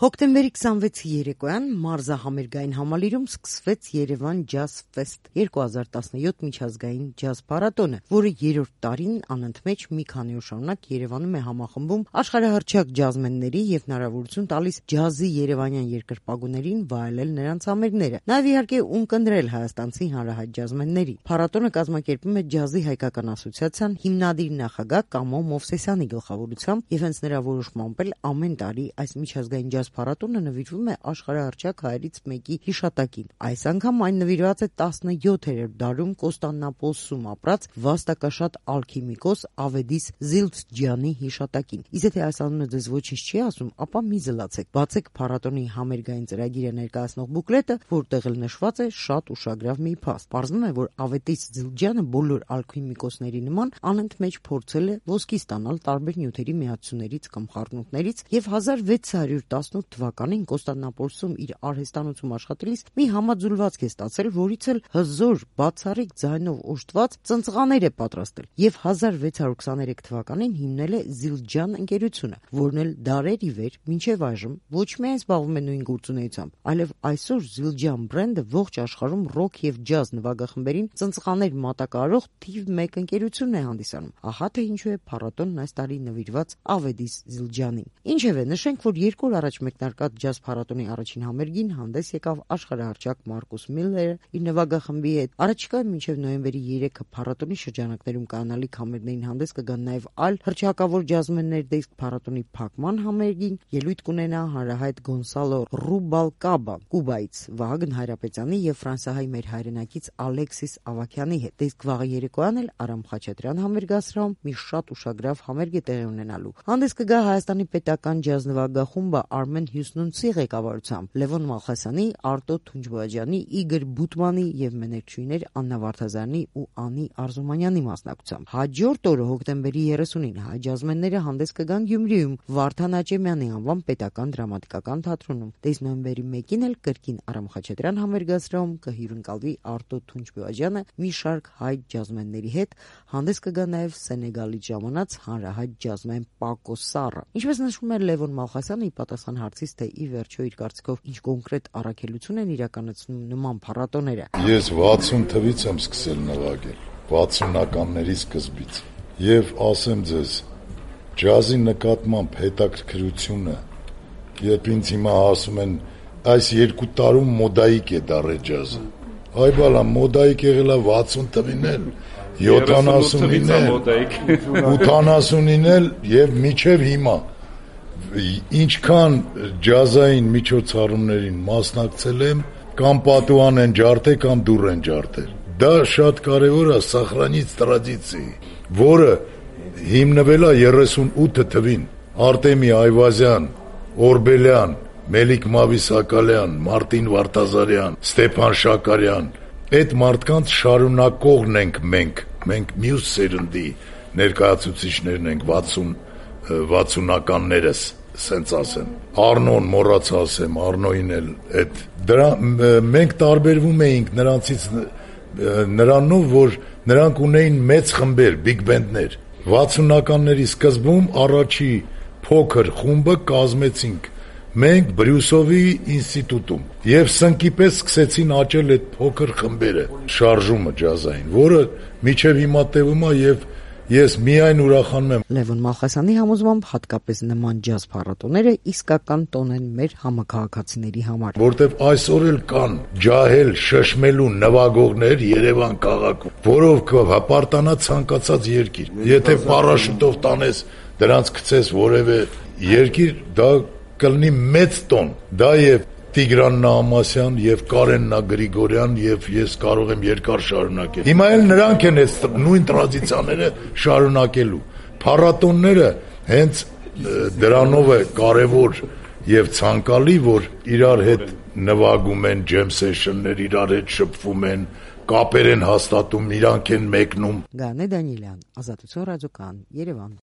Հոկտեմբերի 26-ի երեկոյան մարզահամերգային համալիրում սկսվեց Երևան Ջազ Ֆեսթ 2017 միջազգային ջազ փառատոնը, որը երրորդ տարին անընդմեջ մի քանի օր շարունակ Երևանում է համախմբում աշխարհահռչակ ջազմենների եւ հնարավորություն տալիս ջազի երևանյան երկրպագուներին վայելել նրանց համերգները, նաեւ իհարկե ունկնդրել հայաստանցի հանրահայտ ջազմենների։ Փառատոնը կազմակերպում է Ջազի հայկական ասոցիացիան հիմնադիր նախագահ Կամո Մովսեսյանի գլխավորությամբ եւ հենց նրա որոշմամբ էլ ամեն տարի այս միջազգային ջազ փառատոնը նվիրվում է աշխարհահռչակ հայերից մեկի հիշատակին։ Այս անգամ այն նվիրված է 17-րդ դարում Կոստանդնապոլսում ապրած վաստակաշատ ալքիմիկոս Ավեդիս Զիլդջյանի հիշատակին։ Իսկ եթե այս անունը ձեզ ոչինչ չի ասում, ապա մի զլացեք, բացեք փառատոնի համերգային ծրագիրը ներկայացնող բուկլետը, որտեղ էլ նշված է շատ ուշագրավ մի փաստ։ Պարզվում է, որ Ավեդիս Զիլդջյանը բոլոր ալքիմիկոսների նման անընդմեջ փորձել է ոսկի ստանալ տարբեր նյութերի միացություններից կամ խառնուրդներից եւ 1618 թվականին Կոստանդնապոլսում իր արհեստանոցում աշխատելիս մի համաձուլվածք է ստացել, որից էլ հզոր, բացառիկ ձայնով օժտված ծնծղաներ է պատրաստել եւ 1623 թվականին հիմնել է Զիլդջյան ընկերությունը, որն էլ դարեր ի վեր մինչեւ այժմ ոչ միայն զբաղվում է նույն գործունեությամբ, այլև այսօր Զիլդջյան բրենդը ողջ աշխարհում ռոք եւ ջազ նվագախմբերին ծնծղաներ մատակարարող թիվ 1 ընկերությունն է հանդիսանում։ Ահա թե ինչու է փառատոնն այս տարի նվիրված Ավեդիս Զիլդջյանին։ Ինչևէ, նշենք, որ 2 օր առաջ մեկնարկած ջազ փառատոնի առաջին համերգին հանդես եկավ աշխարհահռչակ Մարկուս Միլլերը իր նվագախմբի հետ։ Առաջիկա մինչև նոյեմբերի 3-ը փառատոնի շրջանակներում կանալիք համերգներին հանդես կգան նաև այլ հռչակավոր ջազմեններ, դիսկ փառատոնի փակման համերգին ելույթ կունենա հանրահայտ Գոնսալո Ռուբալկաբա Կուբայից, Վահագն Հայրապետյանի եւ ֆրանսիահայ մեր հայրենակից Ալեքսիս Ավակյանի հետ։ Դիսկ վաղը երեկոյան էլ Արամ Խաչատրյան համերգասրահում մի շատ ուշագրավ համերգ է տեղի ունենալու։ Հանդես կգա Հայաստանի պետական ջազ նվագախումբը Արմեն Հյուսնունցի ղեկավարությամբ, Լևոն Մալխասյանի, Արտո Թունջբոյաջյանի, Իգոր Բուտմանի եւ մեներչուհիներ Աննա Վարդազարյանի ու Անի Արզումանյանի մասնակցությամբ։ Հաջորդ օրը հոկտեմբերի 30-ին հայ ջազմենները հանդես կգան Գյումրիում Վարդան Աճեմյանի անվան պետական դրամատիկական թատրոնում։ Դες նոյեմբերի 1-ին էլ կրկին Արամ Խաչատրյան համերգասրահում կհյուրընկալվի Արտո Թունջբոյաջյանը մի շարք հայ ջազմենների հետ, հանդես կգա նաեւ Սենեգալից ժամանած հանրահայտ ջազմեն Պակո Սառը։ Ինչպես նշում է Լևոն Մալխասյանը, ի պատասխան հարցից, թե ի վերջո իր կարծիքով ինչ կոնկրետ առաքելություն են իրականացնում նման փառատոները։ Ես 60 թվից եմ սկսել նվագել, 60-ականների սկզբից։ Եվ ասեմ ձեզ, ջազի նկատմամբ հետաքրքրությունը, երբ ինձ հիմա ասում են, այս 2 տարում մոդայիկ է դառել ջազը։ Այ բալա, մոդայիկ եղել է 60 թվին էլ, 70-ին էլ, 80-ին էլ եւ մինչեւ հիմա։ Ինչքան ջազային միջոցառումներին մասնակցել եմ, կամ պատուհան են ջարդել, կամ դուռ են ջարդել։ Դա շատ կարևոր է սախրանից տրադիցիի, որը հիմնվել է 38 թվին։ Արտեմի Այվազյան, Օրբելյան, Մելիք Մավիսակալյան, Մարտին Վարդազարյան, Ստեփան Շակարյան, այդ մարդկանց շարունակողն ենք մենք մյուս սերնդի ներկայացուցիչներն ենք 60-ականներս, սենց ասեմ։ Արնոն մոռացա ասեմ, Արնոյին էլ այդ դրա մենք տարբերվում էինք նրանցից նրանով, որ նրանք ունեին մեծ խմբեր, բիգ բենդներ։ 60-ականների սկզբում առաջի փոքր խումբը կազմեցինք մենք Բրյուսովի ինստիտուտում եւ սնկի պես սկսեցին աճել այդ փոքր խմբերը, շարժումը ջազային, որը միջև հիմա տևում է եւ ես միայն ուրախանում եմ։ Լևոն Մալխասյանի համոզմամբ հատկապես նման ջազ փառատոները իսկական տոն են մեր համաքաղաքացիների համար, որտեվ այսօր էլ կան ջահել շշմելու նվագողներ Երևան քաղաքում, որով կհպարտանա ցանկացած երկիր։ Եթե պարաշուտով տանես, դրանց գցես որևէ երկիր, դա կլինի մեծ տոն։ Դա եւ Տիգրան Նահամասյան եւ Կարեն Գրիգորյան եւ ես կարող եմ երկար շարունակել։ Հիմա էլ նրանք են այդ նույն տրադիցիաները շարունակելու։ Փառատոնները հենց դրանով է կարևոր եւ ցանկալի, որ իրար հետ նվագում են ջեմ սեշններ, իրար հետ շփվում են, կապեր են հաստատում, իրանք են մեկնում։ Գանե Դանիելյան, Ազատություն ռադիոկան, Երևան։